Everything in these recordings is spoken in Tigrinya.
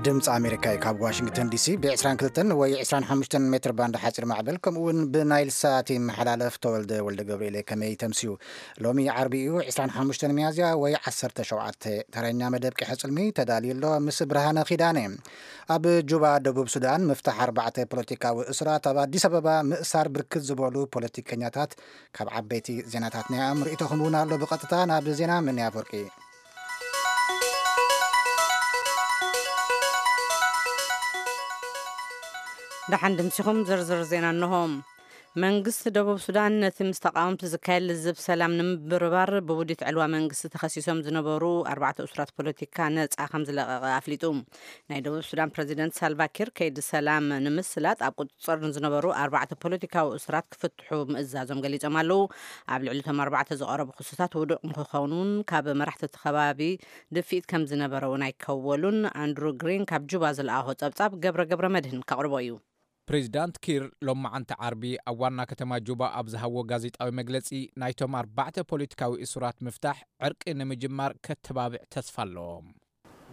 ድምፂ ኣሜሪካ እዩ። ካብ ዋሽንግተን ዲሲ ብ22 ወይ 25 ሜትር ባንድ ሓፂር ማዕበል፣ ከምኡ እውን ብናይል ሳት ይመሓላለፍ። ተወልደ ወልደ ገብርኤል፣ ከመይ ተምስዩ? ሎሚ ዓርቢ እዩ፣ 25 ሚያዝያ ወይ 17። ተረኛ መደብ ቂሐ ጽልሚ ተዳልዩ ኣሎ፣ ምስ ብርሃነ ኪዳነ። ኣብ ጁባ፣ ደቡብ ሱዳን፣ ምፍታሕ ኣርባዕተ ፖለቲካዊ እሱራት፣ ኣብ ኣዲስ ኣበባ ምእሳር ብርክት ዝበሉ ፖለቲከኛታት፣ ካብ ዓበይቲ ዜናታትና እዮም። ርእይቶኹም እውን ኣሎ። ብቐጥታ ናብ ዜና። ምን ኣፈወርቂ። ደሓን ድምሲኹም። ዝርዝር ዜና እንሆ። መንግስቲ ደቡብ ሱዳን ነቲ ምስ ተቃወምቲ ዝካየድ ልዝብ ሰላም ንምብርባር ብውዲት ዕልዋ መንግስቲ ተኸሲሶም ዝነበሩ ኣርባዕተ እሱራት ፖለቲካ ነጻ ከም ዝለቀቐ ኣፍሊጡ። ናይ ደቡብ ሱዳን ፕረዚደንት ሳልቫ ኪር ከይዲ ሰላም ንምስላጥ ኣብ ቁጽጽር ንዝነበሩ ኣርባዕተ ፖለቲካዊ እሱራት ክፍትሑ ምእዛዞም ገሊጾም ኣለዉ። ኣብ ልዕሊ እቶም ኣርባዕተ ዝቐረቡ ክስታት ውዱቕ ንክኾኑን ካብ መራሕቲ እቲ ከባቢ ድፍኢት ከም ዝነበረ እውን ኣይከወሉን። ኣንድሩ ግሪን ካብ ጁባ ዝለኣኾ ጸብጻብ ገብረ ገብረ መድህን ከቕርቦ እዩ። ፕሬዚዳንት ኪር ሎማዓንቲ ዓርቢ ኣብ ዋና ከተማ ጁባ ኣብ ዝሃቦ ጋዜጣዊ መግለጺ፣ ናይቶም ኣርባዕተ ፖለቲካዊ እሱራት ምፍታሕ ዕርቂ ንምጅማር ከተባብዕ ተስፋ ኣለዎም።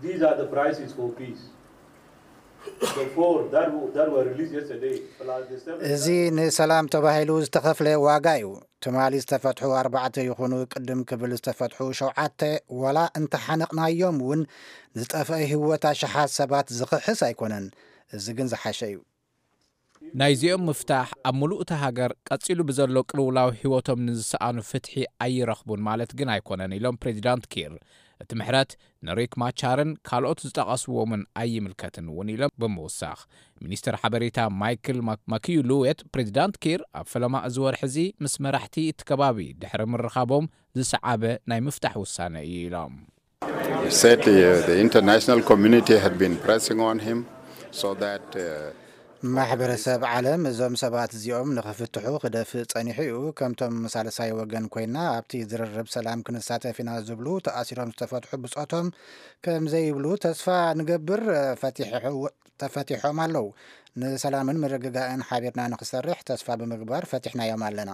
These are the prices for peace. The four that were, that were released yesterday, plus the seven እዚ that ንሰላም ተባሂሉ ዝተኸፍለ ዋጋ እዩ። ትማሊ ዝተፈትሑ ኣርባዕተ ይኹኑ ቅድም ክብል ዝተፈትሑ ሸውዓተ፣ ዋላ እንተሓነቕናዮም እውን፣ ዝጠፍአ ህይወት ኣሽሓት ሰባት ዝኽሕስ ኣይኮነን። እዚ ግን ዝሓሸ እዩ። ናይዚኦም ምፍታሕ ኣብ ምሉእ እታ ሃገር ቀጺሉ ብዘሎ ቅልውላው ህይወቶም ንዝሰኣኑ ፍትሒ ኣይረኽቡን ማለት ግን ኣይኮነን ኢሎም ፕሬዚዳንት ኪር። እቲ ምሕረት ንሪክ ማቻርን ካልኦት ዝጠቐስዎምን ኣይምልከትን እውን ኢሎም ብምውሳኽ፣ ሚኒስትር ሓበሬታ ማይክል ማክ-፣ ማኪዩ ሉዌት፣ ፕሬዚዳንት ኪር ኣብ ፈለማ እዚ ወርሒ እዚ ምስ መራሕቲ እቲ ከባቢ ድሕሪ ምርኻቦም ዝሰዓበ ናይ ምፍታሕ ውሳነ እዩ ኢሎም። He said, uh, the international community had been pressing on him so that, uh, ማሕበረሰብ ዓለም እዞም ሰባት እዚኦም ንኽፍትሑ ክደፍእ ጸኒሑ እዩ። ከምቶም ሳልሳይ ወገን ኮይና ኣብቲ ዝርርብ ሰላም ክንሳተፍ ኢና ዝብሉ ተኣሲሮም ዝተፈትሑ ብጾቶም ከም ዘይብሉ ተስፋ ንገብር። ፈቲሑ-፣ ተፈቲሖም ኣለዉ። ንሰላምን ምርግጋእን ሓቢርና ንኽሰርሕ ተስፋ ብምግባር ፈቲሕናዮም ኣለና።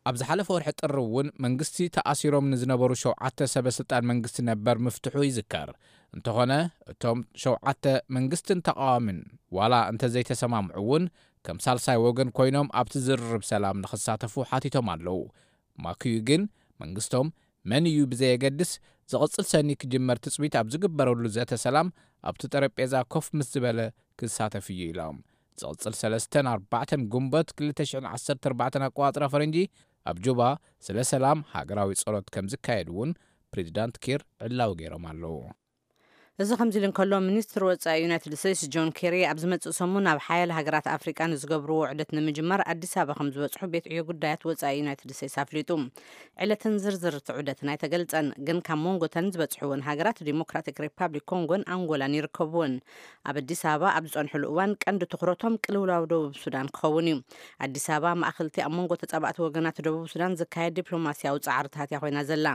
ኣብ ዝሓለፈ ወርሒ ጥሪ እውን መንግስቲ ተኣሲሮም ንዝነበሩ ሸውዓተ ሰበ ስልጣን መንግስቲ ነበር ምፍትሑ ይዝከር። እንተኾነ እቶም ሸውዓተ መንግስትን ተቃዋምን ዋላ እንተዘይተሰማምዑ እውን ከም ሳልሳይ ወገን ኮይኖም ኣብቲ ዝርርብ ሰላም ንኽሳተፉ ሓቲቶም ኣለዉ። ማክዩ ግን መንግስቶም መን እዩ ብዘየገድስ ዝቕጽል ሰኒ ክጅመር ትጽቢት ኣብ ዝግበረሉ ዘተ ሰላም ኣብቲ ጠረጴዛ ኮፍ ምስ ዝበለ ክሳተፍ እዩ ኢሎም። ዝቕጽል ሰለስተን ኣርባዕተን ጉንበት 2014 ኣቆጻጽራ ፈረንጂ ኣብ ጁባ ስለ ሰላም ሃገራዊ ጸሎት ከም ዝካየድ እውን ፕሬዚዳንት ኪር ዕላዊ ገይሮም ኣለዉ። እዚ ከምዚ ኢሉ እንከሎ፣ ሚኒስትር ወጻኢ ዩናይትድ ስቴትስ ጆን ኬሪ ኣብ ዝመጽእ ሰሙን ኣብ ሓያለ ሃገራት ኣፍሪቃ ንዝገብርዎ ውዕደት ንምጅማር ኣዲስ ኣበባ ከም ዝበጽሑ ቤት ዕዮ ጉዳያት ወጻኢ ዩናይትድ ስቴትስ ኣፍሊጡ። ዕለትን ዝርዝር እቲ ዑደትን ኣይተገልጸን፣ ግን ካብ መንጎተን ዝበጽሕወን ሃገራት ዲሞክራቲክ ሪፓብሊክ ኮንጎን ኣንጎላን ይርከብወን። ኣብ ኣዲስ ኣበባ ኣብ ዝጸንሕሉ እዋን ቀንዲ ትኹረቶም ቅልውላው ደቡብ ሱዳን ክኸውን እዩ። ኣዲስ ኣበባ ማእኸልቲ ኣብ መንጎ ተጻባእቲ ወገናት ደቡብ ሱዳን ዝካየድ ዲፕሎማስያዊ ጻዕርታት እያ ኮይና ዘላ።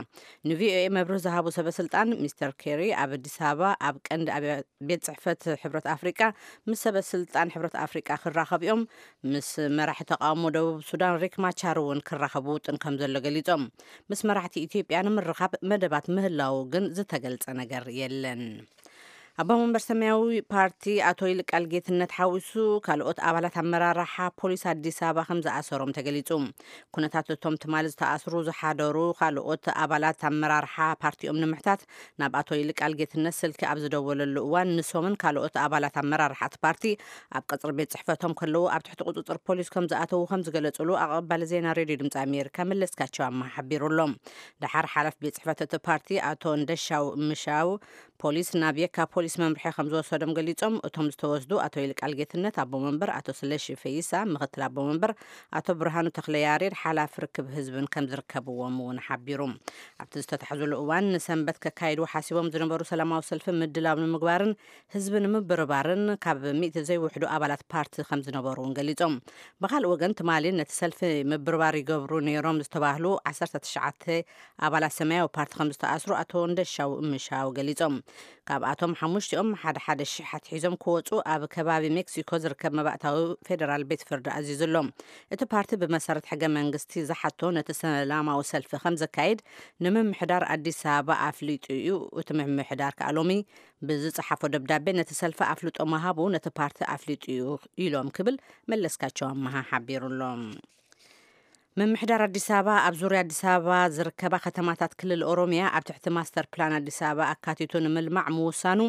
ንቪኦኤ መብርህ ዝሃቡ ሰበ ስልጣን፣ ሚስተር ኬሪ ኣብ ኣዲስ ኣበባ ኣብ ቀንዲ ኣብያ-፣ ቤት ጽሕፈት ሕብረት ኣፍሪቃ ምስ ሰበ ስልጣን ሕብረት ኣፍሪቃ ክራኸቡ እዮም። ምስ መራሒ ተቃውሞ ደቡብ ሱዳን ሪክ ማቻር እውን ክራኸቡ ውጥን ከም ዘሎ ገሊጾም። ምስ መራሕቲ ኢትዮጵያ ንምርኻብ መደባት ምህላው ግን ዝተገልጸ ነገር የለን። ኣቦ መንበር ሰማያዊ ፓርቲ ኣቶ ይልቃል ጌትነት ሓዊሱ ካልኦት ኣባላት ኣመራርሓ ፖሊስ ኣዲስ ኣበባ ከም ዝኣሰሮም ተገሊጹ። ኩነታት እቶም ትማሊ ዝተኣስሩ ዝሓደሩ ካልኦት ኣባላት ኣመራርሓ ፓርቲኦም ንምሕታት ናብ ኣቶ ይልቃል ጌትነት ስልኪ ኣብ ዝደወለሉ እዋን፣ ንሶምን ካልኦት ኣባላት ኣመራርሓ እቲ ፓርቲ ኣብ ቀጽሪ ቤት ጽሕፈቶም ከለዉ ኣብ ትሕቲ ቁጽጽር ፖሊስ ከም ዝኣተዉ ከም ዝገለጹሉ ኣቐባሊ ዜና ሬድዮ ድምጺ ኣሜሪካ መለስካቸው ኣማሃ ሓቢሩ ኣሎ። ደሓር ሓላፊ ቤት ጽሕፈት እቲ ፓርቲ ኣቶ እንደሻው ምሻው ፖሊስ ናብ የካ ፖሊስ መምርሒ ከም ዝወሰዶም ገሊጾም። እቶም ዝተወስዱ ኣቶ ይልቃል ጌትነት ኣቦ መንበር፣ ኣቶ ስለሺ ፈይሳ ምኽትል ኣቦ መንበር፣ ኣቶ ብርሃኑ ተኽለ ያሬድ ሓላፊ ርክብ ህዝብን ከም ዝርከብዎም እውን ሓቢሩ። ኣብቲ ዝተታሕዙሉ እዋን ንሰንበት ከካይድዎ ሓሲቦም ዝነበሩ ሰላማዊ ሰልፊ ምድላው ንምግባርን ህዝቢ ንምብርባርን ካብ ሚእቲ ዘይውሕዱ ኣባላት ፓርቲ ከም ዝነበሩ እውን ገሊጾም። ብኻልእ ወገን ትማሊ ነቲ ሰልፊ ምብርባር ይገብሩ ነይሮም ዝተባህሉ ዓሰርተ ትሽዓተ ኣባላት ሰማያዊ ፓርቲ ከም ዝተኣስሩ ኣቶ እንደሻው ምሻው ገሊጾም። ካብኣቶም ሓሙሽቲኦም ሓደ ሓደ ሽሕ ኣትሒዞም ክወፁ ኣብ ከባቢ ሜክሲኮ ዝርከብ መባእታዊ ፌደራል ቤት ፍርዲ ኣዚዙ ኣሎ። እቲ ፓርቲ ብመሰረት ሕገ መንግስቲ ዝሓቶ ነቲ ሰላማዊ ሰልፊ ከም ዘካይድ ንምምሕዳር ኣዲስ ኣበባ ኣፍሊጡ እዩ። እቲ ምምሕዳር ከኣ ሎሚ ብዝጸሓፎ ደብዳቤ ነቲ ሰልፊ ኣፍልጦ ምሃቡ ነቲ ፓርቲ ኣፍሊጡ እዩ ኢሎም ክብል መለስካቸው ኣመሃ ሓቢሩ ኣሎ። ምምሕዳር ኣዲስ ኣበባ ኣብ ዙርያ ኣዲስ ኣበባ ዝርከባ ከተማታት ክልል ኦሮሚያ ኣብ ትሕቲ ማስተር ፕላን ኣዲስ ኣበባ ኣካቲቱ ንምልማዕ ምውሳኑ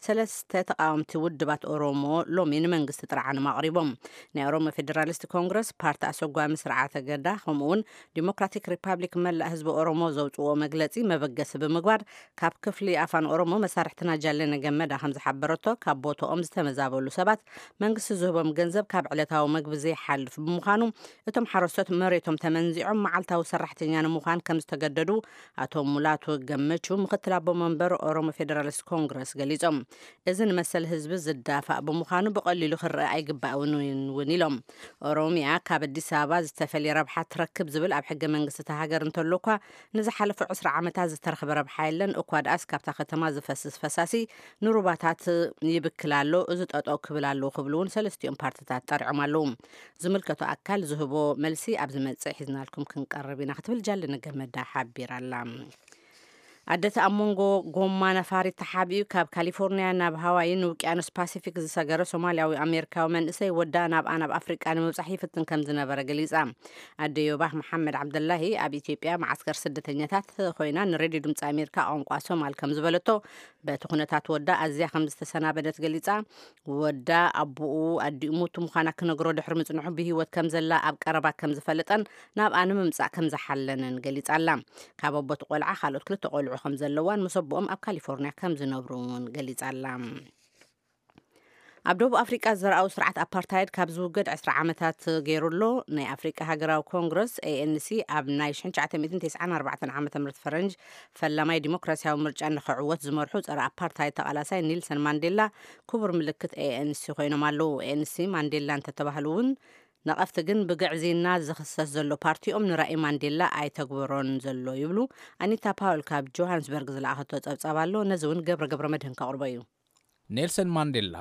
ሰለስተ ተቃወምቲ ውድባት ኦሮሞ ሎሚ ንመንግስቲ ጥርዓኖም ኣቕሪቦም። ናይ ኦሮሞ ፌዴራሊስት ኮንግረስ፣ ፓርቲ ኣሰጓሚ ስርዓተ ገዳ ከምኡውን ዲሞክራቲክ ሪፓብሊክ መላእ ህዝቢ ኦሮሞ ዘውፅዎ መግለፂ መበገሲ ብምግባር ካብ ክፍሊ ኣፋን ኦሮሞ መሳርሕትና ጃለነ ገመዳ ከም ዝሓበረቶ ካብ ቦታኦም ዝተመዛበሉ ሰባት መንግስቲ ዝህቦም ገንዘብ ካብ ዕለታዊ መግቢ ዘይሓልፍ ብምዃኑ እቶም ሓረስቶት መሬቶም ተመንዚዖም መዓልታዊ ሰራሕተኛ ንምዃን ከም ዝተገደዱ ኣቶ ሙላቱ ገመቹ ምክትል ኣቦ መንበር ኦሮሞ ፌዴራሊስት ኮንግረስ ገሊጾም። እዚ ንመሰል ህዝቢ ዝዳፋእ ብምዃኑ ብቐሊሉ ክረአ ኣይግባእን እውን ኢሎም። ኦሮሚያ ካብ ኣዲስ ኣበባ ዝተፈልየ ረብሓ ትረክብ ዝብል ኣብ ሕገ መንግስቲ እታ ሃገር እንተሎ እኳ ንዝሓለፉ ዕስራ ዓመታት ዝተረኽበ ረብሓ የለን። እኳ ደኣስ ካብታ ከተማ ዝፈስስ ፈሳሲ ንሩባታት ይብክል ኣሎ፣ እዚ ጠጠው ክብል ኣለዎ ክብሉ እውን ሰለስቲኦም ፓርትታት ጠሪዖም ኣለዉ። ዝምልከቶ ኣካል ዝህቦ መልሲ ኣብ ዝመጽእ ሒዝናልኩም ክንቀርብ ኢና ክትብል ጃለነ ገመዳ ሓቢራ ኣላ። ኣደት ኣብ መንጎ ጎማ ነፋሪት ተሓቢኡ ካብ ካሊፎርኒያ ናብ ሃዋይን ውቅያኖስ ፓሲፊክ ዝሰገረ ሶማልያዊ ኣሜሪካዊ መንእሰይ ወዳ ናብኣ ናብ ኣፍሪቃ ንምብጻሕ ይፍትን ከም ዝነበረ ገሊጻ። ኣደ ዮባህ መሓመድ ዓብደላሂ ኣብ ኢትዮጵያ መዓስከር ስደተኛታት ኮይና ንሬድዮ ድምፂ ኣሜሪካ ቋንቋ ሶማል ከም ዝበለቶ፣ በቲ ኩነታት ወዳ ኣዝያ ከም ዝተሰናበደት ገሊጻ። ወዳ ኣቦኡ ኣዲኡ ሙቱ ምዃና ክነግሮ ድሕሪ ምጽንሑ ብህይወት ከም ዘላ ኣብ ቀረባ ከም ዝፈለጠን ናብኣ ንምምጻእ ከም ዝሓለነን ገሊጻ ኣላ። ካብ ኣቦቲ ቆልዓ ካልኦት ክልተ ቆልዑ ከም ዘለዋን ምስ ኣቦኦም ኣብ ካሊፎርኒያ ከም ዝነብሩ እውን ገሊጻ ኣላ። ኣብ ደቡብ ኣፍሪቃ ዘርኣዊ ስርዓት ኣፓርታይድ ካብ ዝውገድ ዕስራ ዓመታት ገይሩ ኣሎ። ናይ ኣፍሪቃ ሃገራዊ ኮንግረስ ኤ ኤን ሲ ኣብ ናይ ሽሕን ትሽዓተ ሚእትን ተስዓን ኣርባዕተን ዓመተ ምህረት ፈረንጅ ፈላማይ ዲሞክራሲያዊ ምርጫ ንኽዕወት ዝመርሑ ጸረ ኣፓርታይድ ተቓላሳይ ኔልሰን ማንዴላ ክቡር ምልክት ኤ ኤን ሲ ኮይኖም ኣለዉ። ኤ ኤን ሲ ማንዴላ እንተተባህሉ እውን ነቐፍቲ ግን ብግዕዝይና ዝኽሰስ ዘሎ ፓርቲኦም ንራኢ ማንዴላ ኣይተግበሮን ዘሎ ይብሉ። ኣኒታ ፓውል ካብ ጆሃንስበርግ ዝለኣኸቶ ጸብጻብ ኣሎ። ነዚ እውን ገብረ ገብረ መድህን ከቕርቦ እዩ። ኔልሰን ማንዴላ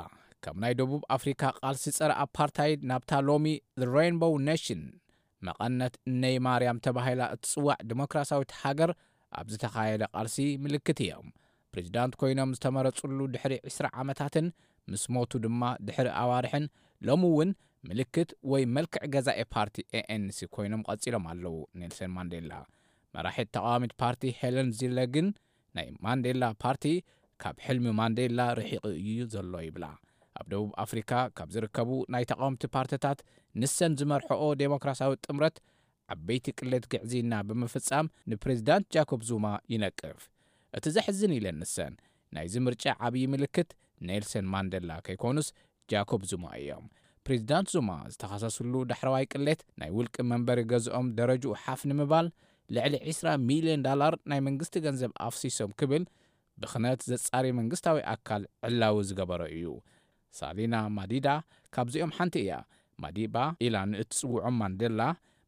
ካብ ናይ ደቡብ ኣፍሪካ ቃልሲ ጸረ ኣፓርታይድ ናብታ ሎሚ ሬንቦው ኔሽን መቐነት እነይ ማርያም ተባሂላ እትጽዋዕ ዲሞክራሲያዊት ሃገር ኣብ ዝተኻየደ ቃልሲ ምልክት እዮም። ፕሬዚዳንት ኮይኖም ዝተመረጹሉ ድሕሪ ዕስራ ዓመታትን ምስ ሞቱ ድማ ድሕሪ ኣዋርሕን ሎሚ እውን ምልክት ወይ መልክዕ ገዛኢ ፓርቲ ኤ ኤን ሲ ኮይኖም ቀጺሎም ኣለዉ። ኔልሰን ማንዴላ መራሒት ተቃዋሚት ፓርቲ ሄለን ዚለ ግን ናይ ማንዴላ ፓርቲ ካብ ሕልሚ ማንዴላ ርሒቑ እዩ ዘሎ ይብላ። ኣብ ደቡብ ኣፍሪካ ካብ ዝርከቡ ናይ ተቃወምቲ ፓርቲታት ንሰን ዝመርሕኦ ዴሞክራሲያዊ ጥምረት ዓበይቲ ቅሌት ግዕዝይና ብምፍጻም ንፕሬዚዳንት ጃኮብ ዙማ ይነቅፍ። እቲ ዘሕዝን ኢለን ንሰን ናይዚ ምርጫ ዓብዪ ምልክት ኔልሰን ማንዴላ ከይኮኑስ ጃኮብ ዙማ እዮም። ፕሬዚዳንት ዙማ ዝተኸሰስሉ ዳሕረዋይ ቅሌት ናይ ውልቂ መንበሪ ገዝኦም ደረጅኡ ሓፍ ንምባል ልዕሊ ዕስራ ሚልዮን ዳላር ናይ መንግስቲ ገንዘብ ኣፍሲሶም ክብል ብኽነት ዘጻሪ መንግስታዊ ኣካል ዕላዊ ዝገበሮ እዩ። ሳሊና ማዲዳ ካብዚኦም ሓንቲ እያ። ማዲባ ኢላ ንእትጽውዖም ማንዴላ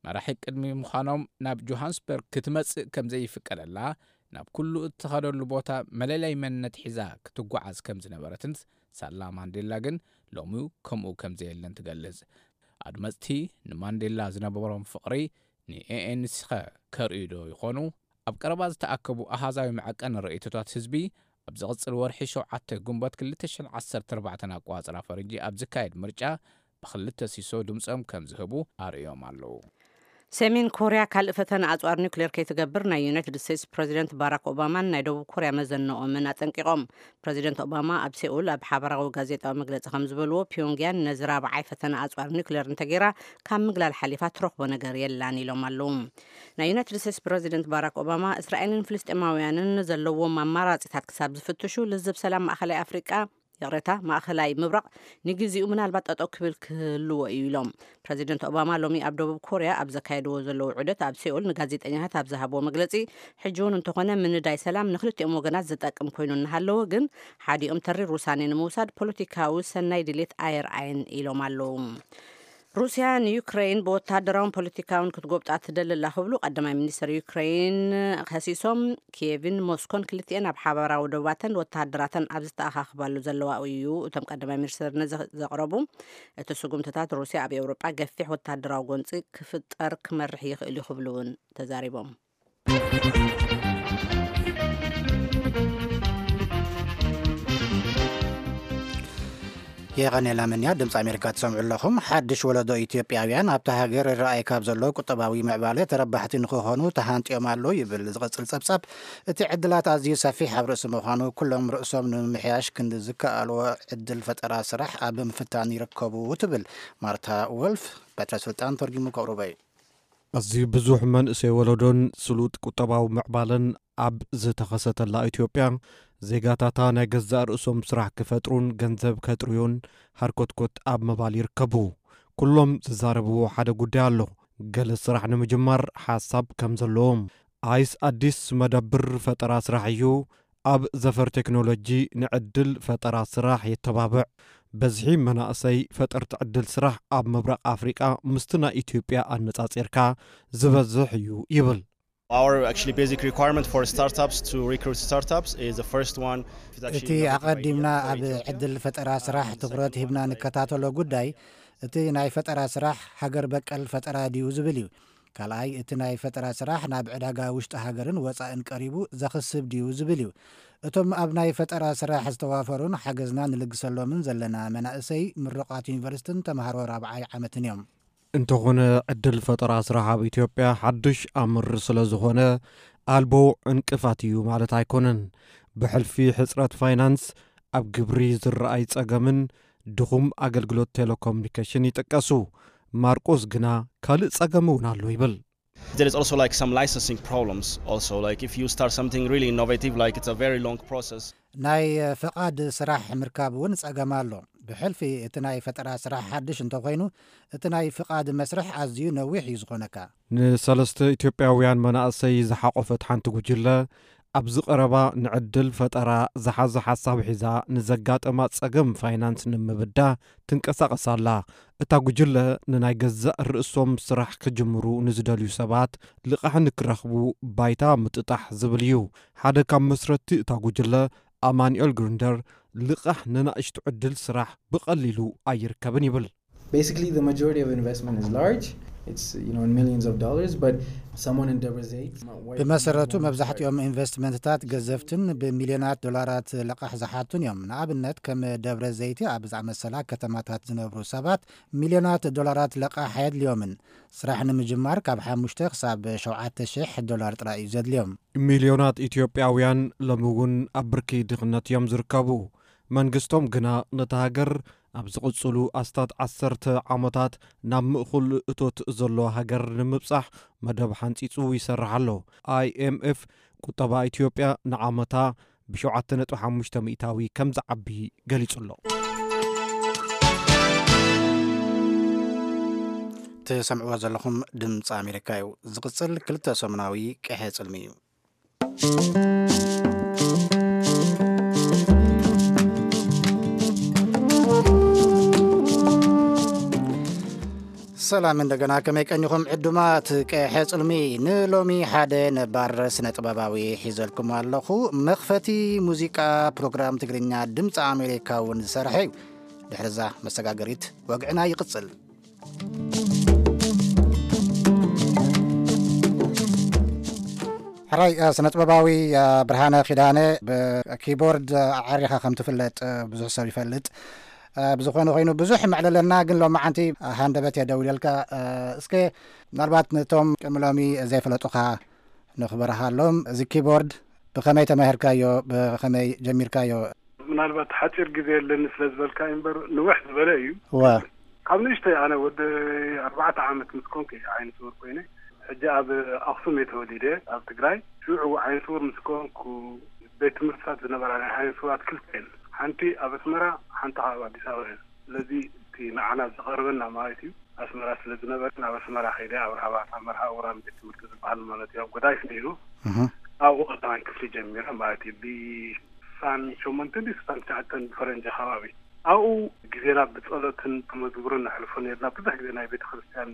መራሒ ቅድሚ ምዃኖም ናብ ጆሃንስበርግ ክትመጽእ ከም ዘይፍቀደላ ናብ ኩሉ እትኸደሉ ቦታ መለለይ መንነት ሒዛ ክትጓዓዝ ከም ዝነበረትን ሳላ ማንዴላ ግን ሎሚ ከምኡ ከም ዘየለን ትገልጽ። ኣድመጽቲ ንማንዴላ ዝነበሮም ፍቕሪ ንኤኤንሲኸ ከርእዩ ዶ ይኾኑ? ኣብ ቀረባ ዝተኣከቡ ኣሃዛዊ መዐቀኒ ርእይቶታት ህዝቢ ኣብ ዝቕጽል ወርሒ ሸውዓተ ግንቦት ክልተ ሽሕን ዓሰርተ ኣርባዕተን ኣቆጻጽራ ፈረንጂ ኣብ ዝካየድ ምርጫ ብክልተ ሲሶ ድምጾም ከም ዝህቡ ኣርእዮም ኣለዉ። ሰሜን ኮርያ ካልእ ፈተነ ኣጽዋር ኒውክሌር ከይትገብር ናይ ዩናይትድ ስቴትስ ፕሬዚደንት ባራክ ኦባማን ናይ ደቡብ ኮርያ መዘነኦምን ኣጠንቂቖም። ፕሬዚደንት ኦባማ ኣብ ሴኡል ኣብ ሓበራዊ ጋዜጣዊ መግለጺ ከም ዝበልዎ፣ ፒዮንግያን ነዚ ራብዓይ ፈተነ ኣጽዋር ኒውክሌር እንተገይራ ካብ ምግላል ሓሊፋ ትረኽቦ ነገር የላን ኢሎም ኣለዉ። ናይ ዩናይትድ ስቴትስ ፕሬዚደንት ባራክ ኦባማ እስራኤልን ፍልስጤማውያንን ዘለዎም ኣማራጺታት ክሳብ ዝፍትሹ ልዝብ ሰላም ማእኸላይ ኣፍሪቃ ይቕሬታ፣ ማእኸላይ ምብራቕ ንግዜኡ ምናልባት ጠጠው ክብል ክህልዎ እዩ ኢሎም። ፕረዚደንት ኦባማ ሎሚ ኣብ ደቡብ ኮርያ ኣብ ዘካየድዎ ዘለዉ ዑደት ኣብ ሴኡል ንጋዜጠኛታት ኣብ ዝሃብዎ መግለጺ፣ ሕጂ እውን እንተኾነ ምንዳይ ሰላም ንክልቲኦም ወገናት ዝጠቅም ኮይኑ እናሃለወ ግን ሓዲኦም ተሪር ውሳኔ ንምውሳድ ፖለቲካዊ ሰናይ ድሌት ኣየርኣየን ኢሎም ኣለዉ። ሩስያ ንዩክሬን ብወተሃደራውን ፖለቲካውን ክትጎብጣ ትደሊ ኣላ ክብሉ ቀዳማይ ሚኒስትር ዩክሬን ከሲሶም። ኪየቭን ሞስኮን ክልቲኤን ኣብ ሓባራዊ ዶባተን ወተሃደራተን ኣብ ዝተኣኻኽባሉ ዘለዋ እዩ። እቶም ቀዳማይ ሚኒስትር ነዚ ዘቕረቡ፣ እቲ ስጉምትታት ሩስያ ኣብ ኤውሮጳ ገፊሕ ወተሃደራዊ ጎንፂ ክፍጠር ክመርሕ ይኽእል እዩ ክብሉ እውን ተዛሪቦም። የቐኔላ መንያ። ድምፂ ኣሜሪካ ትሰምዑ ኣለኹም። ሓድሽ ወለዶ ኢትዮጵያውያን ኣብታ ሃገር ይረኣይ ካብ ዘሎ ቁጠባዊ ምዕባለ ተረባሕቲ ንክኾኑ ተሃንጥዮም ኣሎ ይብል ዝቕፅል ፀብፃብ። እቲ ዕድላት ኣዝዩ ሰፊሕ ኣብ ርእሲ ምዃኑ፣ ኩሎም ርእሶም ንምምሕያሽ ክንዲ ዝከኣልዎ ዕድል ፈጠራ ስራሕ ኣብ ምፍታን ይርከቡ ትብል ማርታ ወልፍ። በትረ ስልጣን ተርጊሙ ከቕርቦ እዩ። ኣዝዩ ብዙሕ መንእሰይ ወለዶን ስሉጥ ቁጠባዊ ምዕባለን ኣብ ዝተኸሰተላ ኢትዮጵያ፣ ዜጋታታ ናይ ገዛእ ርእሶም ስራሕ ክፈጥሩን ገንዘብ ከጥርዩን ሃርኮትኮት ኣብ ምባል ይርከቡ። ኩሎም ዝዛረብዎ ሓደ ጉዳይ ኣሎ። ገለ ስራሕ ንምጅማር ሓሳብ ከም ዘለዎም። ኣይስ ኣዲስ መደብር ፈጠራ ስራሕ እዩ። ኣብ ዘፈር ቴክኖሎጂ ንዕድል ፈጠራ ስራሕ የተባብዕ። በዝሒ መናእሰይ ፈጠርቲ ዕድል ስራሕ ኣብ ምብራቕ ኣፍሪቃ ምስቲ ናይ ኢትዮጵያ ኣነጻጺርካ ዝበዝሕ እዩ ይብል። Our actually basic requirement for startups to recruit startups is the first one. It's actually እቲ not required ኣቐዲምና here for ኣብ Ethiopia. ዕድል ፈጠራ ስራሕ ትኹረት ሂብና ንከታተሎ ጉዳይ፣ እቲ ናይ ፈጠራ ስራሕ ሃገር በቀል ፈጠራ ድዩ ዝብል እዩ። ካልኣይ፣ እቲ ናይ ፈጠራ ስራሕ ናብ ዕዳጋ ውሽጢ ሃገርን ወፃእን ቀሪቡ ዘኽስብ ድዩ ዝብል እዩ። እቶም ኣብ ናይ ፈጠራ ስራሕ ዝተዋፈሩን ሓገዝና ንልግሰሎምን ዘለና መናእሰይ ምሩቓት ዩኒቨርሲቲን ተምሃሮ ራብዓይ ዓመትን እዮም። እንተኾነ፣ ዕድል ፈጠራ ስራሕ ኣብ ኢትዮጵያ ሓዱሽ ኣምር ስለ ዝኾነ፣ ኣልቦ ዕንቅፋት እዩ ማለት ኣይኮነን። ብሕልፊ ሕጽረት ፋይናንስ፣ ኣብ ግብሪ ዝረኣይ ጸገምን ድኹም ኣገልግሎት ቴሌኮሙኒኬሽን ይጥቀሱ። ማርቆስ ግና ካልእ ጸገም እውን ኣሎ ይብል። There is also, like, some licensing problems also. Like, if you start something really innovative, like, it's a very long process. ናይ ፍቓድ ስራሕ ምርካብ እውን ጸገም ኣሎ። ብሕልፊ እቲ ናይ ፈጠራ ስራሕ ሓድሽ እንተኾይኑ፣ እቲ ናይ ፍቓድ መስርሕ ኣዝዩ ነዊሕ እዩ ዝኾነካ። ንሰለስተ ኢትዮጵያውያን መናእሰይ ዝሓቖፈት ሓንቲ ጉጅለ፣ ኣብዚ ቀረባ ንዕድል ፈጠራ ዝሓዘ ሓሳብ ሒዛ ንዘጋጠማ ጸገም ፋይናንስ ንምብዳ ትንቀሳቐስ ኣላ። እታ ጉጅለ ንናይ ገዛእ ርእሶም ስራሕ ክጅምሩ ንዝደልዩ ሰባት ልቓሕ ንክረኽቡ ባይታ ምጥጣሕ ዝብል እዩ። ሓደ ካብ መስረትቲ እታ ጉጅለ ኣማኑኤል ግሩንደር፣ ልቓሕ ንናእሽቱ ዕድል ስራሕ ብቐሊሉ ኣይርከብን ይብል። Basically, the majority of investment is large. It's, you know, in millions of dollars, but someone in Debrecen might wipe ብመሰረቱ መብዛሕትኦም ኢንቨስትመንትታት ገዘፍትን ብሚልዮናት ዶላራት ልቓሕ ዝሓቱን እዮም። ንኣብነት ከም ደብረ ዘይቲ ኣብ ዝኣመሰላ ከተማታት ዝነብሩ ሰባት ሚልዮናት ዶላራት ልቓሕ ኣየድልዮምን። ስራሕ ንምጅማር ካብ ሓሙሽተ ክሳብ ሸውዓተ ሽሕ ዶላር ጥራይ እዩ ዘድልዮም። ሚልዮናት ኢትዮጵያውያን ሎሚ እውን ኣብ ብርኪ ድኽነት እዮም ዝርከቡ። መንግስቶም ግና ነታ ሃገር ኣብ ዝቕጽሉ ኣስታት ዓሰርተ ዓመታት ናብ ምእኹል እቶት ዘለዎ ሃገር ንምብጻሕ መደብ ሓንጺጹ ይሰርሕ ኣሎ። ኣይኤምኤፍ ቁጠባ ኢትዮጵያ ንዓመታ ብሸውዓተ ነጥቢ ሓሙሽተ ሚእታዊ ከም ዝዓቢ ገሊጹ ኣሎ። ትሰምዕዎ ዘለኹም ድምፂ ኣሜሪካ እዩ። ዝቕጽል ክልተ ሰሙናዊ ቀሐ ጽልሚ እዩ። ሰላም እንደገና፣ ከመይ ቀኒኹም ዕዱማት ቀሐ ጽልሚ? ንሎሚ ሓደ ነባር ስነ ጥበባዊ ሒዘልኩም ኣለኹ። መኽፈቲ ሙዚቃ ፕሮግራም ትግርኛ ድምፂ ኣሜሪካ እውን ዝሰርሐ እዩ። ድሕሪ እዛ መሰጋገሪት ወግዕና ይቕጽል። ሕራይ፣ እ፣ ስነ ጥበባዊ፣ እ፣ ብርሃነ ኪዳነ፣ ብኪቦርድ፣ እ፣ ዓሪኻ ከም ትፍለጥ፣ እ፣ ብዙሕ ሰብ ይፈልጥ። እ፣ ብዝኾነ ኮይኑ ብዙሕ መዕለለና፣ ግን ሎማዓንቲ፣ እ፣ ሃንደበት እየ ደውለልካ። እ፣ እስከ ምናልባት ነቶም ቅድሚ ሎሚ ዘይፈለጡኻ ንኽበርሃሎም፣ እዚ ኪቦርድ ብኸመይ ተማሂርካዮ? ብኸመይ ጀሚርካዮ? ምናልባት ሓፂር ግዜ የለኒ ስለ ዝበልካ እዩ እምበር፣ ንውሕ ዝበለ እዩ። እወ። ካብ ንእሽተይ፣ ኣነ ወዲ ኣርባዕተ ዓመት ምስ ኮንኩ እየ ዓይነ ስውር ኮይነ። ሕጂ ኣብ ኣኽሱም እየ ተወሊደ፣ ኣብ ትግራይ። ሽዑ ዓይነ ስውር ምስ ኮንኩ፣ ቤት ትምህርትታት ዝነበራ ናይ ዓይነ ስውራት ክልተ እየን። ሓንቲ ኣብ ኣስመራ፣ ሓንቲ ከዓ ኣብ ኣዲስ ኣበባ እየን። ስለዚ እቲ ንዓና ዝቐርበና ማለት እዩ፣ ኣስመራ ስለ ዝነበረ፣ ናብ ኣስመራ ከይደ ኣብ ራህዋት፣ ኣብ መርሃ ውራን ቤት ትምህርቲ ዝበሃል ማለት እዩ፣ ኣብ ጎዳይፍ ነይሩ። እህ። ኣብኡ ቀዳማይ ክፍሊ ጀሚረ ማለት እዩ። ብስሳን ሸሞንተን ድዩ ስሳን ትሽዓተን ብፈረንጂ ከባቢ። ኣብኡ ግዜና ብጸሎትን ብመዝሙርን ነሕልፎ ነርና። ብዙሕ ግዜ ናይ ቤተ ክርስቲያን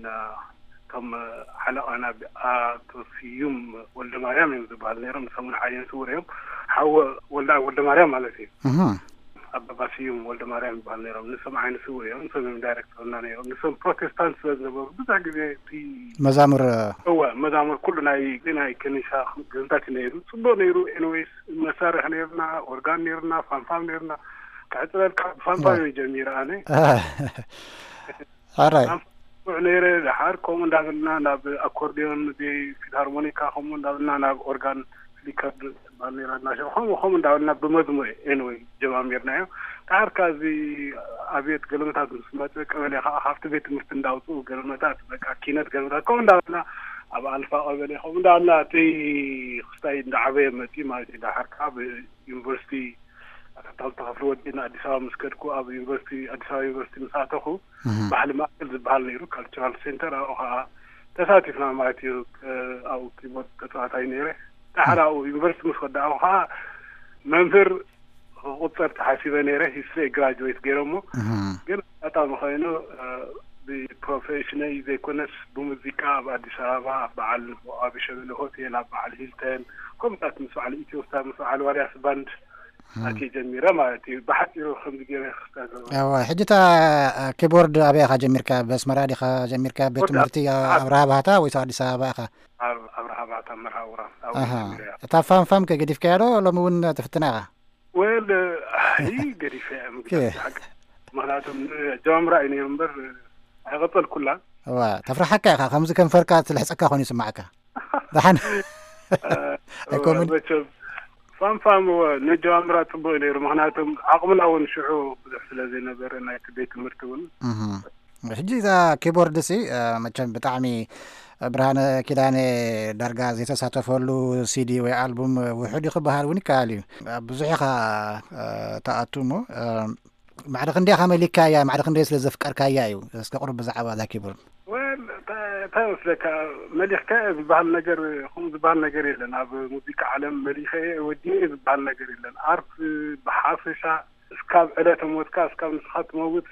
እቶም ሓለቓና ኣቶ ስዩም ወልደ ማርያም እዮም ዝበሃል ነይሮም። ንሶም እውን ዓይነ ስውር እዮም። ሓወ ወልደ ወልደ ማርያም ማለት እዩ። ኣባባ ስዩም ወልደ ማርያም ይበሃል ነይሮም። ንሶም ዓይነ ስውር እዮም። ንሶም እዮም ዳይሬክተርና ነይሮም። ንሶም ፕሮቴስታንት ስለ ዝነበሩ ብዙሕ ግዜ እቲ መዛሙር እወ፣ መዛሙር ኩሉ ናይ ናይ ከኒሳ ግዝታት እዩ ነይሩ። ጽቡቕ ነይሩ። ኤንዌይስ፣ መሳርሒ ነይርና፣ ኦርጋን ነይርና፣ ፋንፋም ነይርና። ክዕጽለልካ ብፋንፋም እየ ጀሚረ ኣነ። ኣራይ። ፋንፋም ነይረ። ደሓር ከምኡ እንዳበልና ናብ ኣኮርዲዮን፣ ፊልሃርሞኒካ ከምኡ እንዳበልና ናብ ኦርጋን ፍሊከር ባንዴራ እናሸ-፣ ከምኡ ከምኡ እንዳበልና ብመዝሙር ኤንወይ ጀማሚርናዮ። ደሓር ከኣ እዚ ኣብየት ገለመታት ምስ መጸ ቀበሌ ከኣ ካብቲ ቤት ትምህርቲ እንዳውጽኡ ገለመታት በቃ ኪነት ገለመታት ከምኡ እንዳበልና ኣብ ኣልፋ ቀበሌ ከምኡ እንዳበልና እቲ ክስታይ እንዳዓበየ መጺኡ ማለት እዩ። ደሓር ከኣ ብ ዩኒቨርሲቲ ኣታልታ ክፍሊ ወዲእና ኣዲስ ኣበባ ምስ ከድኩ፣ ኣብ ዩኒቨርሲቲ፣ ኣዲስ ኣበባ ዩኒቨርሲቲ ምስ ኣተኹ፣ ባህሊ ማእከል ዝበሃል ነይሩ፣ ካልቸራል ሴንተር፣ ኣብኡ ኸዓ ተሳቲፍና ማለት እዩ። ኣብኡ ኪቦርድ ተጻዋታይ ነይረ። ደሓር ኣብኡ ዩኒቨርሲቲ ምስ ወዳእኹ ኸዓ መምህር ክቁጸር ተሓሲበ ነይረ፣ ሂስትሪ ግራጁዌት ገይረ እሞ፣ ግን ኣጋጣሚ ኮይኑ ብፕሮፌሽነይ ዘይኮነስ ብሙዚቃ ኣብ ኣዲስ ኣበባ ኣብ በዓል ኣብ ሸበሌ ሆቴል፣ ኣብ በዓል ሂልተን፣ ከምኡታት ምስ በዓል ኢትዮ ስታር፣ ምስ በዓል ዋልያስ ባንድ ኣትየ ጀሚረ ማለት እዩ። ብሓጺሩ ከምዚ ገይረ ክስታይ ዘለኹ። እዋ፣ ሕጂ እታ ኪቦርድ ኣበይ ኢኻ ጀሚርካ? ኣብ ኣስመራ ዲኻ ጀሚርካ? ቤት ወዲ ትምህርቲ ኣብ ኣብርሃ ባህታ ወይስ ኣዲስ ኣበባ ኢኻ? ኣብ ኣብርሃ ባህታ መርሃ ውራን ኣብኡ ኣሃ። ጀሚረ። እታ ፋም ፋም ከ ገዲፍካያ ዶ? ሎሚ እውን ትፍትና ኢኻ? ወል፣ ኣይ፣ ገዲፈ እየ ምግዳፍ ኬ። ሓቂ። ምኽንያቱም ጀማምራ እዩ ነይሩ እምበር ኣይቐጸልኩላን። እዋ፣ ተፍርሓካ ኢኻ፣ ከምዚ ከንፈርካ ትልሕጸካ ኮይኑ ይስማዓካ። ደሓን። እ፣ ኣይኮምን? መቸም ፋም ፋም፣ እወ፣ ነጀማምራ ጽቡቕ እዩ ነይሩ። ምኽንያቱም ዓቕምና እውን ሽዑ ብዙሕ ስለ ዘይነበረ ናይቲ ቤት ትምህርቲ እውን። እህ። ሕጂ እዛ ኪቦርድ ሲ፣ እ፣ መቸም ብጣዕሚ ብርሃነ ኪዳነ ዳርጋ ዘይተሳተፈሉ ሲዲ ወይ ኣልቡም ውሑድ እዩ ክበሃል እውን ይከኣል እዩ። ብዙሕ ኢኻ፣ እ፣ ትኣቱ እሞ፣ እ፣ ማዕረ ክንደይ ኢኻ መሊካያ? ማዕረ ክንደይ ስለ ዘፍቀርካያ እዩ? እስከ ቁሩብ ብዛዕባ እዛ ኪቦርድ። ወል፣ እንታይ፣ እንታይ መስለካ፣ መሊኽካ ዝበሃል ነገር፣ ከምኡ ዝበሃል ነገር የለን። ኣብ ሙዚቃ ዓለም መሊኸ እየ፣ ወዲኤ ዝበሃል ነገር የለን። ኣርት ብሓፈሻ እስካብ ዕለተ ሞትካ፣ እስካብ ንስኻ ትመውት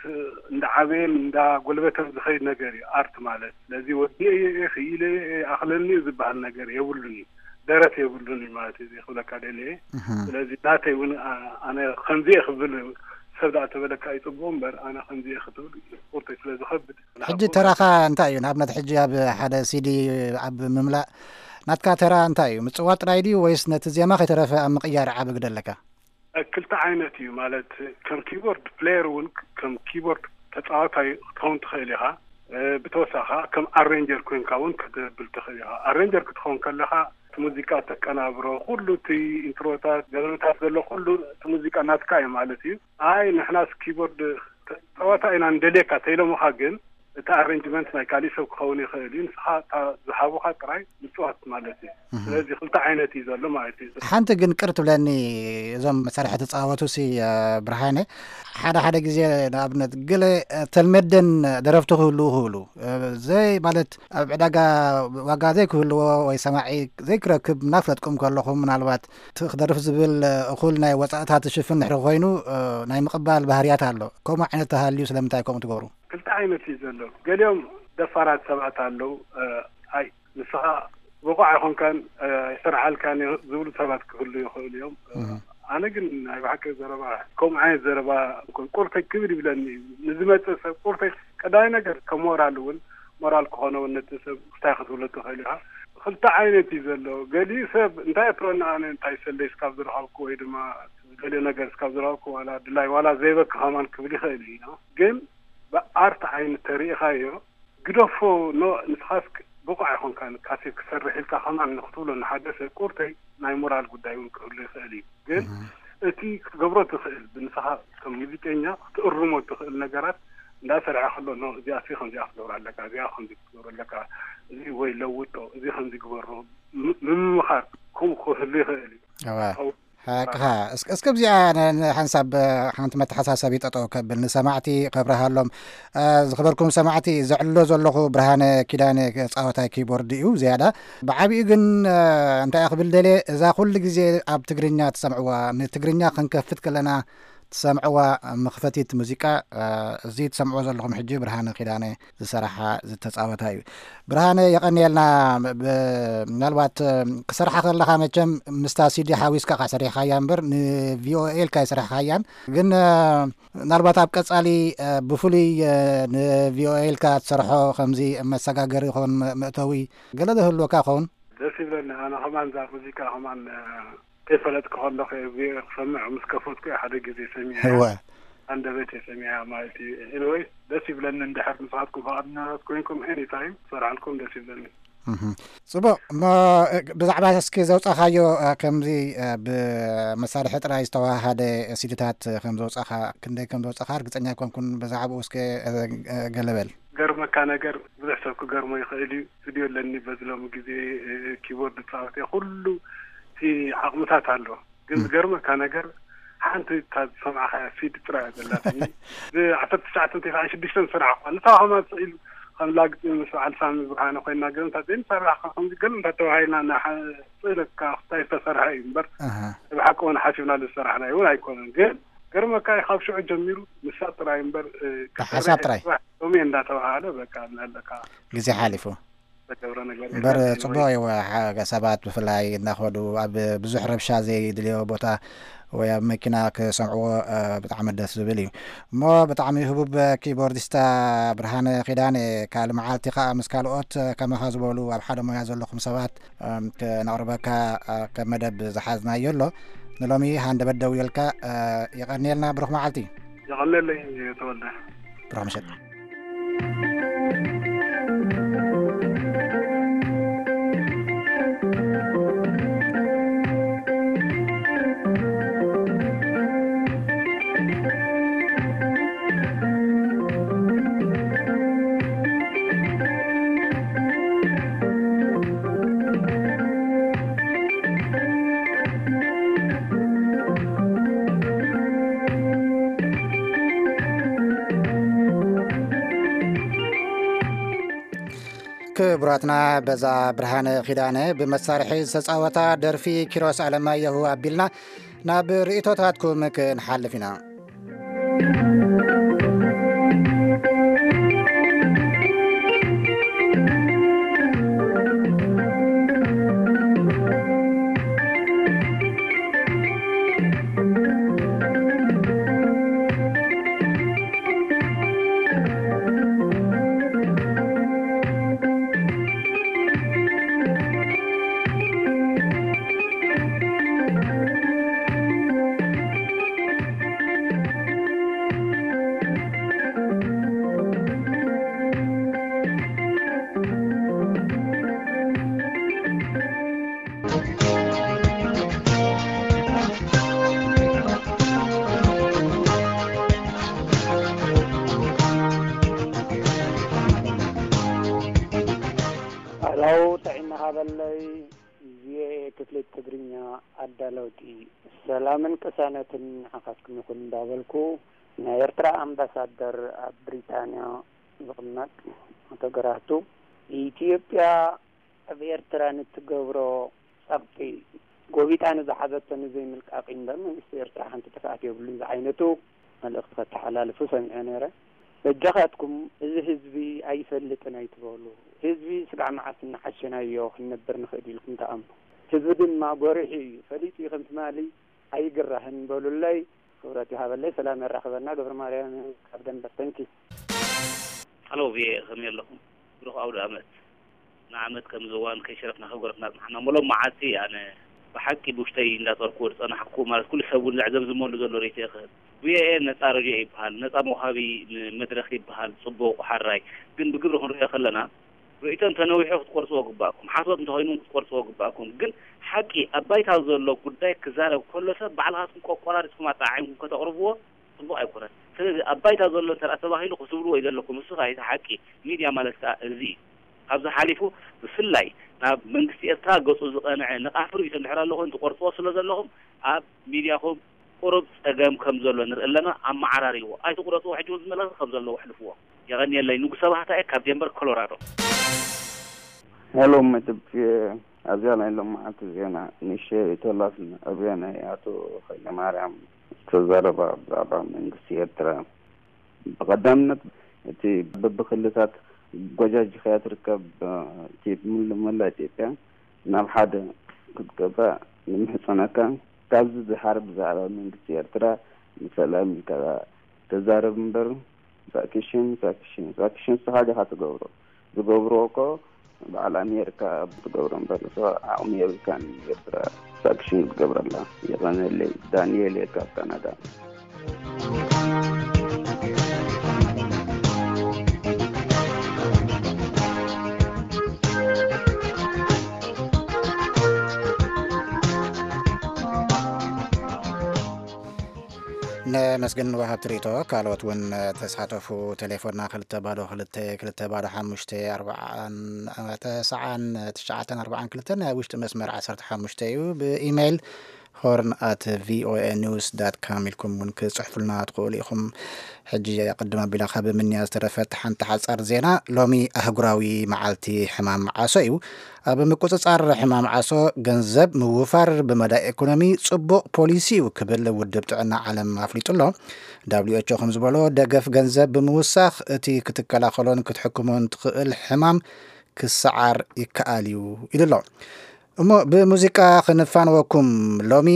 እንዳዓበየን እንዳጎልበተን ዝኸይድ ነገር እዩ ኣርት ማለት። ስለዚ ወዲኤ እየ፣ ክኢለ እየ፣ ኣኽለኒ እዩ ዝበሃል ነገር የብሉን እዩ። ደረት የብሉን እዩ ማለት እዩ፣ እዚ ክብለካ ደልየ። እህ። ስለዚ ናተይ እውን፣ ኣ-፣ ኣነ ከምዚ እየ ክብል ሰብ ደኣ ተበለካ ይጽቡቕ እምበር፣ ኣነ ከምዚ እየ ክትብል ቁርተይ ስለ ዝኸብድ። ሕጂ ተራኻ እንታይ እዩ? ንኣብነት ሕጂ ኣብ ሓደ ሲዲ ኣብ ምምላእ ናትካ ተራ እንታይ እዩ? ምጽዋት ጥራይ ድዩ ወይስ ነቲ ዜማ ከይተረፈ ኣብ ምቕያር ዓቢ ግደ ኣለካ? ክልተ ዓይነት እዩ ማለት፣ ከም ኪቦርድ ፕሌየር እውን ከም ኪቦርድ ተጻዋታይ ክትኸውን ትኽእል ኢኻ። እ፣ ብተወሳኺ ከም ኣሬንጀር ኮይንካ እውን ክትብል ትኽእል ኢኻ። ኣሬንጀር ክትኸውን ከለኻ እቲ ሙዚቃ ተቀናብሮ፣ ኩሉ እቲ ኢንትሮታት፣ ገለመታት ዘሎ ኩሉ እቲ ሙዚቃ ናትካ እዩ ማለት እዩ። ኣይ ንሕናስ ኪቦርድ ተጻዋታይ ኢና እንደልየካ ተይሎምኻ ግን እቲ ኣሬንጅመንት ናይ ካሊእ ሰብ ክኸውን ይኽእል እዩ። ንስኻ እታ ዝሃቡኻ ጥራይ ምጽዋት ማለት እዩ። እህ። ስለዚ ክልተ ዓይነት እዩ ዘሎ ማለት እዩ። ሓንቲ ግን ቅር ትብለኒ፣ እዞም መሳርሒ ተጻወቱ ሲ፣ እ፣ ብርሃነ፣ ሓደ ሓደ ግዜ ንኣብነት ገለ፣ እ፣ ተልመደን ደረፍቲ ክህልዉ ክህሉ፣ እ፣ ዘይ ማለት ኣብ ዕዳጋ ዋጋ ዘይክህልዎ ወይ ሰማዒ ዘይክረክብ እናፍለጥኩም ከለኹም ምናልባት እቲ ክደርፍ ዝብል፣ እ፣ እኹል ናይ ወጻእታት ትሽፍን ድሕሪ ኮይኑ፣ እ፣ ናይ ምቕባል ባህርያት ኣሎ። ከምኡ ዓይነት ተሃልዩ ስለምንታይ ከምኡ ትገብሩ? ክልተ ዓይነት እዩ ዘሎ። ገሊኦም ደፋራት ሰባት ኣለዉ። እ፣ ኣይ ንስኻ ብቑዕ ኣይኮንካን፣ እ፣ ኣይሰርዓልካን እዩ ዝብሉ ሰባት ክህሉ ይኽእሉ እዮም። እ፣ እህ። ኣነ ግን ናይ ብሓቂ ዘረባ፣ ከምኡ ዓይነት ዘረባ ቁርተይ ክብድ ይብለኒ እዩ። ንዝመጽእ ሰብ ቁርተይ ቀዳማይ ነገር ከም ሞራል እውን፣ ሞራል ክኾነ እውን ነቲ ሰብ እንታይ ክትብሎ ትኽእል ኢኻ። ክልተ ዓይነት እዩ ዘሎ። ገሊኡ ሰብ እንታይ እትብለኒ ኣነ እንታይ ሰለይ እስካብ ዝረኸብኩ ወይ ድማ ገሊኡ ነገር እስካብ ዝረኸብኩ ዋላ ድላይ ዋላ ዘይበኪ ከማን ክብል ይኽእል እዩ። ግን ብኣርት ዓይኒ ተሪኢኻዮ ግደፎ፣ ኖ፣ ንስኻስ ብቑዕ ኣይኮንካን፣ ካሴት ክሰርሕ ኢልካ ከማን ንክትብሎ ንሓደ ሰብ ቁርተይ ናይ ሞራል ጉዳይ እውን ክህሉ ይኽእል እዩ። ግን እህ። እቲ ክትገብሮ ትኽእል፣ ብንስኻ ከም ሙዚቀኛ ክትእርሞ ትኽእል ነገራት እንዳሰርሐ ከሎ፣ ኖ፣ እዚኣሲ ከምዚኣ ክትገብራ ኣለካ፣ እዚኣ ከምዚ ክትገብሮ ኣለካ፣ እዚ ወይ ለውጦ፣ እዚ ከምዚ ግበሮ፣ ም-፣ ምምኻር ከምኡ ክህሉ ይኽእል እዩ። እዋ። ሓቅኻ። እስከ፣ እስከ ኣብዚኣ ን-፣ ንሓንሳብ ሓንቲ መተሓሳሰቢ ጠጠው ከብል ንሰማዕቲ ከብርሃሎም። እ፣ ዝኸበርኩም ሰማዕቲ፣ ዘዕልሎ ዘለኹ ብርሃነ ኪዳነ ጻወታይ ኪቦርድ እዩ ዝያዳ። ብዓቢኡ ግን፣ እ፣ እንታይ ክብል ደልየ፣ እዛ ኩሉ ግዜ ኣብ ትግርኛ ትሰምዕዋ፣ ንትግርኛ ክንከፍት ከለና ሰምዕዋ መኽፈቲት ሙዚቃ፣ እ፣ እዚ ትሰምዕዎ ዘለኹም ሕጂ ብርሃነ ኪዳነ ዝሰራሓ ዝተጻወታ እዩ። ብርሃነ፣ የቐንየልና። ብ-፣ ምናልባት፣ እ፣ ክሰርሓ ከለኻ መቸም ምስታ ሲዲ ሓዊስካ ኢኻ ሰሪሕካያ እምበር ንቪኦኤ ኢልካ ኣይሰራሕካያን። ግን፣ እ፣ ምናልባት ኣብ ቀጻሊ፣ እ፣ ብፍሉይ፣ እ፣ ንቪኦኤ ኢልካ ትሰርሖ ከምዚ መሰጋገሪ ይኸውን መ-፣ መእተዊ ገለ ዶ ህልወካ ይኸውን? ደስ ይብለኒ። ኣነ ከማን እዛ ሙዚቃ ከማን፣ እ፣ ከይፈለጥኩ ከለኹ እየ ክሰምዕ ምስ ከፈትኩ እየ ሓደ ግዜ ሰሚዐ። እወ። ኣንደበት እየ ሰሚዐ ማለት እዩ። ኤኒወይ፣ ደስ ይብለኒ። እንድሕር ንስኻትኩም ፍቓደኛታት ኮይንኩም ኤኒ ታይም ክሰርሓልኩም ደስ ይብለኒ። እህ። ጽቡቕ። እሞ፣ እ፣ ብዛዕባ እስኪ ዘውጻኻዮ፣ እ፣ ከምዚ፣ እ፣ ብመሳርሒ ጥራይ ዝተዋሃደ ሲዲታት ከም ዘውጻኻ፣ ክንደይ ከም ዘውጻኻ ርግጸኛ ኣይኮንኩን። ብዛዕባኡ እስከ፣ እ፣ እ፣ ገለ በል። ገርመካ ነገር ብዙሕ ሰብ ክገርሞ ይኽእል እዩ። ስቱድዮ ኣለኒ፣ በዚ ሎሚ ግዜ፣ እ፣ ኪቦርድ እጻወት እየ። ኩሉ እቲ ዓቕምታት ኣሎ። ግን ም። ዝገርመካ ነገር ሓንቲ እታ ዝሰማዕኻያ ሲዲ ጥራይ እያ ዘላትኒ። ብ-ዓሰርተ ትሽዓተ እንተይከዓን ሽዱሽተ ንሰርሓ እኳ። ንሳ ከማን ስቕ ኢሉ ከም ላግጺ ምስ በዓል ሳሚ ብርሃነ ኮይንና ገለ እንታ ዘይንሰርሕ ከምዚ ገለ እንታ ተባሂልና እና ሓ-፣ ስቕ ኢለካ እንታይ ዝተሰርሐ እዩ እምበር፣ ኣሃ። ብሓቂ እውን ሓሲብናሉ ዝሰራሕናዮ እውን ኣይኮነን። ግን ገርመካ እዩ፣ ካብ ሽዑ ጀሚሩ ንሳ ጥራይ እምበር፣ እ፣ ብሓሳብ ጥራይ። ጽባሕ ሎሚ እንዳተባሃለ በቃ እናለካ ግዜ ሓሊፉ። ተገብረ ነገር እምበር የለን። ጽቡቕ እዩ። ሓ-፣ ሰባት ብፍላይ እናኸዱ ኣብ ብዙሕ ረብሻ ዘይድልዮ ቦታ ወይ ኣብ መኪና ክሰምዕዎ፣ እ፣ ብጣዕሚ ደስ ዝብል እዩ። እሞ ብጣዕሚ ህቡብ ኪቦርዲስታ ብርሃነ ኪዳነ፣ ካልእ መዓልቲ ከኣ ምስ ካልኦት፣ እ፣ ከማኻ ዝበሉ ኣብ ሓደ ሞያ ዘለኹም ሰባት፣ እም፣ ከነቕርበካ፣ እ፣ ከም መደብ ዝሓዝናዮ ኣሎ። ንሎሚ ሃንደበት ደው ኢልካ፣ እ፣ የቐንየልና። ብሩኽ መዓልቲ። የቐንየለይ ተወልደ። ብሩኽ ምሸት። ክቡራትና፣ በዛ ብርሃነ ኪዳነ ብመሳርሒ ዝተጻወታ ደርፊ ኪሮስ ኣለማየሁ ኣቢልና ናብ ርእይቶታትኩም ክንሓልፍ ኢና። ሃለው፣ ጥዕና ሃበለይ። ቪኦኤ ክፍሊ ትግርኛ ኣዳለውቲ፣ ሰላምን ቅሳነትን ንዓኻትኩም ይኹን እንዳበልኩ፣ ናይ ኤርትራ ኣምባሳደር ኣብ ብሪጣንያ ዝቕመጥ ኣቶ ገራህቱ፣ ኢትዮጵያ ኣብ ኤርትራ ንትገብሮ ጸቕጢ ጎቢጣ ንዝሓዘቶ ንዘይምልቃቕ እምበር መንግስቲ ኤርትራ ሓንቲ ጥፍኣት የብሉን ዝዓይነቱ መልእኽቲ ከተሓላልፉ ሰሚዐ ነይረ። በጃኻትኩም እዚ ህዝቢ ኣይፈልጥን ኣይትበሉ። ህዝቢ ስጋዕ መዓስ እናሓሸናዮ ክንነብር ንኽእል ኢልኩም ትኣምኑ። ህዝቢ ድማ ጎሪሑ እዩ፣ ፈሊጡ እዩ፣ ከም ትማሊ ኣይግራህን በሉለይ። ክብረት ይሃበለይ። ሰላም የራኽበና። ገብረ ማርያም ካብ ደንበር። ተንኪ። ሃሎ ቪኦኤ፣ ከመይ ኣለኹም? ብሩኽ ኣውደ ኣመት። ንዓመት ከም ዝዋን ከይሸረፍና ከይጎረፍና ጽናሕና። እሞ ሎም መዓልቲ ኣነ ብሓቂ ብውሽጠይ እንዳጠርኩ ዝጸናሕኩ፣ ማለት ኩሉ ሰብ እውን ዘዕዘምዝመሉ ዘሎ ርእይቶ ክህብ። ቪኦኤ ነጻ ረድዮ ይበሃል፣ ነጻ መውሃቢ መድረኽ ይበሃል፣ ጽቡቕ፣ ሓራይ። ግን ብግብሪ ክንሪኦ ከለና፣ ርእይቶ እንተነዊሑ ክትቆርጽዎ ግባእኩም፣ ሓሶት እንተኾይኑ ክትቆርጽዎ ግባእኩም። ግን ሓቂ ኣብ ባይታ ዘሎ ጉዳይ ክዛረብ ከሎ ሰብ ባዕልኻትኩም ቆቆራሪጽኩም ኣጠዓዒምኩም ከተቕርብዎ ጽቡቕ ኣይኮነን። ስለዚ ኣብ ባይታ ዘሎ እንተ ደኣ ተባሂሉ ክትብልዎ እዩ ዘለኩም። እሱ ከኣ እቲ ሓቂ። ሚድያ ማለት ከኣ እዚ እዩ። ካብዚ ሓሊፉ ብፍላይ ናብ መንግስቲ ኤርትራ ገጹ ዝቐንዐ ነቓፊ ርእይቶ እንድሕር ኣሎ ኮይኑ ትቆርጽዎ ስለ ዘለኹም ኣብ ሚድያኹም ቁሩብ ጸገም ከም ዘሎ ንርኢ ኣለና። ኣመዓራርይዎ። ኣይትቑረጽዎ። ሕጂ እውን ዝመለኸ ከም ዘለዎ ኣሕልፍዎ። የቐንየለይ። ንጉሰ ባህታ እየ ካብ ዴንቨር ኮሎራዶ። ሄሎ መደብ፣ ኣብዚኣ ናይ ሎማዓንቲ ዜና ንእሽተይ ርእይቶ ኣላትኒ። ኣብዚኣ ናይ ኣቶ ሃይለማርያም ተዛረባ ብዛዕባ መንግስቲ ኤርትራ። ብቐዳምነት እቲ በብክልታት ጎጃጅ ከያ ትርከብ፣ እ፣ እቲ ሙሉ መላ ኢትዮጵያ ናብ ሓደ ክትገባ ንምሕጸነካ። ካብዚ ዝሓር ብዛዕባ መንግስቲ ኤርትራ ንሰላም ኢልካ ተዛረብ እምበር፣ ሳክሽን፣ ሳክሽን፣ ሳክሽን ንስኻ ዲኻ ትገብሮ? ዝገብሮ እኮ በዓል ኣሜሪካ ትገብሮ እምበር፣ ንስኻ ዓቕሚ የብልካን ኤርትራ ሳክሽን ክትገብረላ። የቐነለይ። ዳንኤል እየ ካብ ካናዳ። ነመስግን ወሃብቲ ርእይቶ። ካልኦት እውን ተሳተፉ። ቴሌፎንና ክልተ ባዶ ክልተ፣ ክልተ ባዶ ሓሙሽተ፣ ኣርባዓን ተስዓን ትሽዓተን ኣርባዓን ክልተን፣ ናይ ውሽጢ መስመር ዓሰርተ ሓሙሽተ እዩ። ብኢሜይል ሆርን ኣት ቪኦኤ ኒውስ ዳት ካም ኢልኩም እውን ክጽሕፉልና ትኽእሉ ኢኹም። ሕጂ ቅድም ኣቢላ ካብ ምንያ ዝተረፈት ሓንቲ ሓጻር ዜና። ሎሚ ኣህጉራዊ መዓልቲ ሕማም ዓሶ እዩ። ኣብ ምቁጽጻር ሕማም ዓሶ ገንዘብ ምውፋር ብመዳይ ኢኮኖሚ ጽቡቕ ፖሊሲ እዩ ክብል ውድብ ጥዕና ዓለም ኣፍሊጡ ኣሎ። ደብሊው ኤች ኦ ከም ዝበሎ፣ ደገፍ ገንዘብ ብምውሳኽ እቲ ክትከላኸሎን ክትሕክሞን ትኽእል ሕማም ክሰዓር ይከኣል እዩ ኢሉ ኣሎ። እሞ ብሙዚቃ ክንፋንወኩም። ሎሚ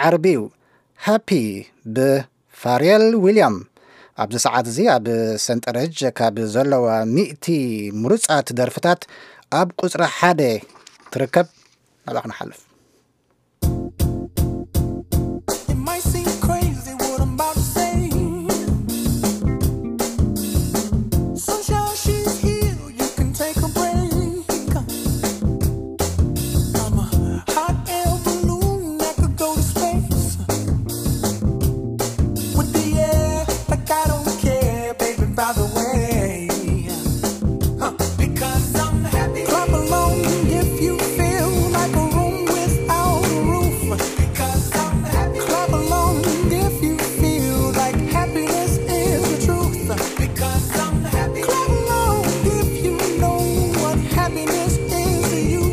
ዓርቢ እዩ። ሃፒ ብፋርየል ዊልያም ኣብዚ ሰዓት እዚ ኣብ ሰንጠረዥ ካብ ዘለዋ ሚእቲ ምሩጻት ደርፍታት ኣብ ቁጽሪ ሓደ ትርከብ። ናብኣ ክንሓልፍ። It might seem crazy what I'm about to say. Sunshine, she's here, you can take a break. I'm a hot air balloon that could go to space. With the air, like I don't care, baby, by the way. Huh. Because I'm happy. Clap along if you feel like a room without a roof. Because I'm happy. Clap along if you feel like happiness is the truth. Because I'm happy. Clap along if you know what happiness is to you.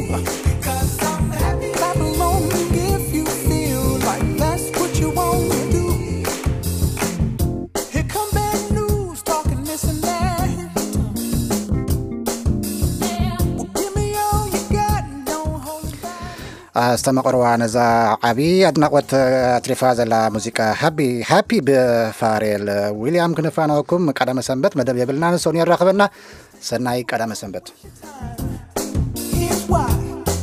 Because I'm happy. Clap along if you feel like that's what you want to do. Here come bad news, talking this and that. Well, give me all you got, don't hold it back. ኣስተማቕርዋ ነዛ ዓቢ ኣድናቖት ኣትሪፋ ዘላ ሙዚቃ ሃቢ፣ ሃፒ ብፋሬል ዊልያም ክንፋነወኩም። ቀዳመ ሰንበት መደብ የብልና፣ ንሶን የራኽበና። ሰናይ ቀዳመ ሰንበት። Here's why.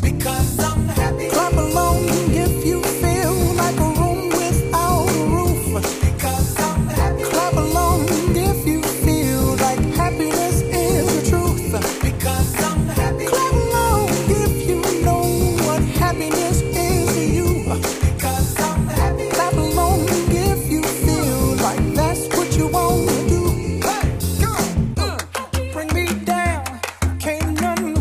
Because I'm happy. Clap along if you feel like a room without a roof. Because I'm happy. Clap along if you feel like happiness is the truth. Because I'm happy. Clap along if you know what happiness is to you. Because I'm happy. Clap along if you feel like that's what you want to do. Hey, come on. Bring me down. Can't nothing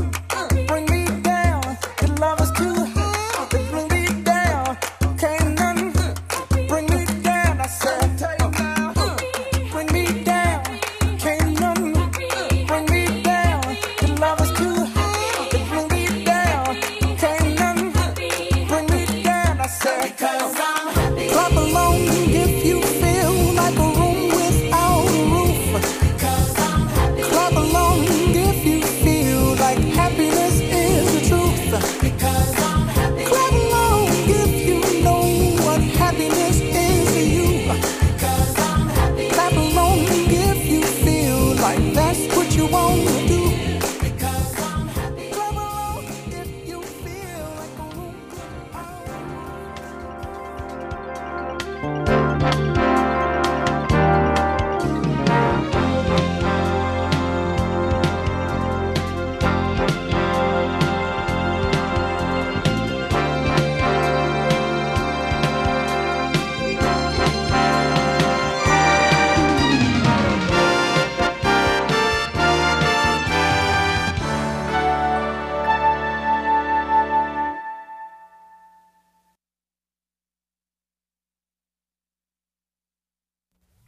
bring me down. Your love is too high to bring me down. Can't nothing bring me down. I said, bring me down. Can't nothing bring me down. Your love is too high to bring me down. Can't nothing bring me down. I said, because I'm happy. Clap along if you feel like a room without a roof. Because I'm happy. Clap along if you feel like happiness is the truth. Because I'm happy. Clap along if you know what happiness is to you. Because I'm happy. Clap along if you feel like that's what you want to do. Because I'm happy. Clap along if you feel like a room.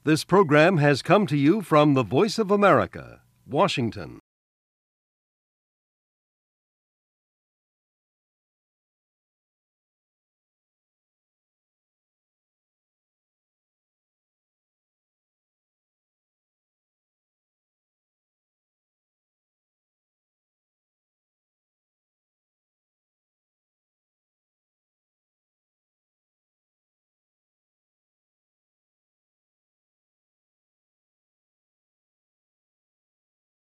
This program has come to you from the Voice of America, Washington.